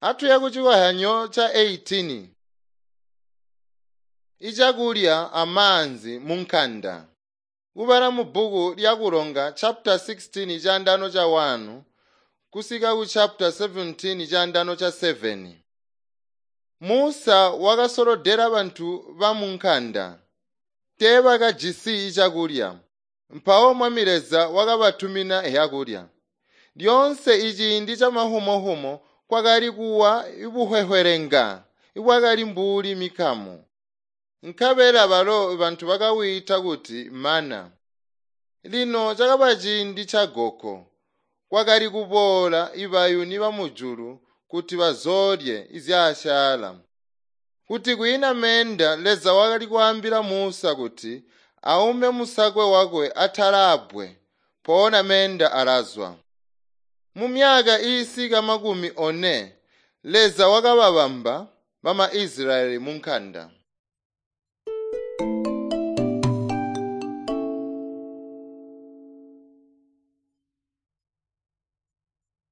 Atuye kucikozyanyo ca 18. Icakulya amaanzi munkanda. Kubala mubbuku lya Kulonga chapter 16 chandano cha 1 kusika ku chapter 17 chandano cha 7. Musa wakasolodela bantu ba munkanda. Teebakajisi cakulya. Mpawo Mwami Leza wakabatumina zyakulya. Lyoonse iciindi camahumohumo kwakali kuwa ibuhwehwelenga ibwakali mbuli mikamu. Nkabela balo bantu bakawiita kuti mana. Lino cakaba ciindi ca goko. Kwakali kuboola ibayuni bamujulu kuti bazoolye izyasyaala. Kuti kwiina meenda Leza wakali kwaambila Musa kuti aume musakwe wakwe atala abbwe, mpoona meenda alazwa. Mumyaka iisika 40 Leza wakababamba bama Isilayeli munkanda.